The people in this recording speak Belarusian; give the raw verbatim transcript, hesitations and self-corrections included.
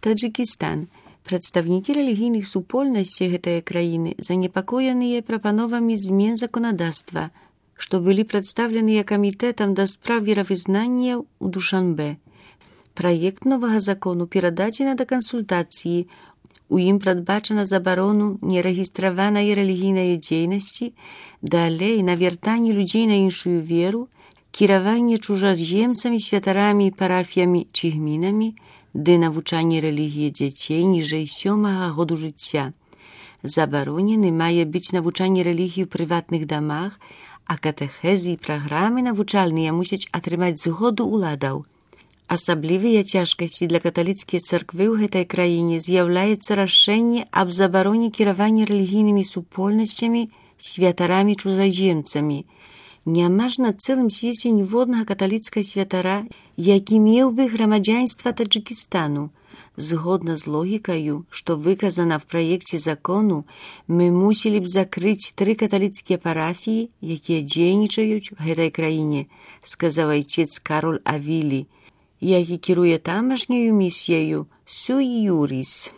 Таджикістан. Прадстаўнікі рэлігійных супольнасцей гэтай краіны занепакоеныя прапановамі змен заканадаўства, што былі прадстаўленыя камітэтам да спраў веравызнання ў Душанбе. Праект новага закону перададзены да кансультацыі. У ім прадбачана забарону нерэгістраванай рэлігійнай дзейнасці, далей навяртанне людзей на іншую веру, кіраванне чужаземцамі, святарамі, парафіямі ці гмінамі, ды навучанне рэлігіі дзяцей ніжэй сёмага году жыцця. Забаронены мае быць навучанне рэлігіі ў прыватных дамах, а катэхезы і праграмы навучальныя мусяць атрымаць згоду ўладаў. Асаблівыя цяжкасці для каталіцкай царквы ў гэтай краіне з'яўляецца рашэнне аб забароне кіравання рэлігійнымі супольнасцямі, святарамі чужаземцамі. Няма ж на цэлым свеце ніводнага каталіцкага святара, які меў бы грамадзянства Таджикістану. Згодна з логікаю, што выказана в праекце закону, мы мусілі б закрыць тры каталіцкія парафіі, якія дзейнічаюць у гэтай краіне, сказаў айцец Кароль Авілі, які кіруе тамашняю місіяю Суй Юріс.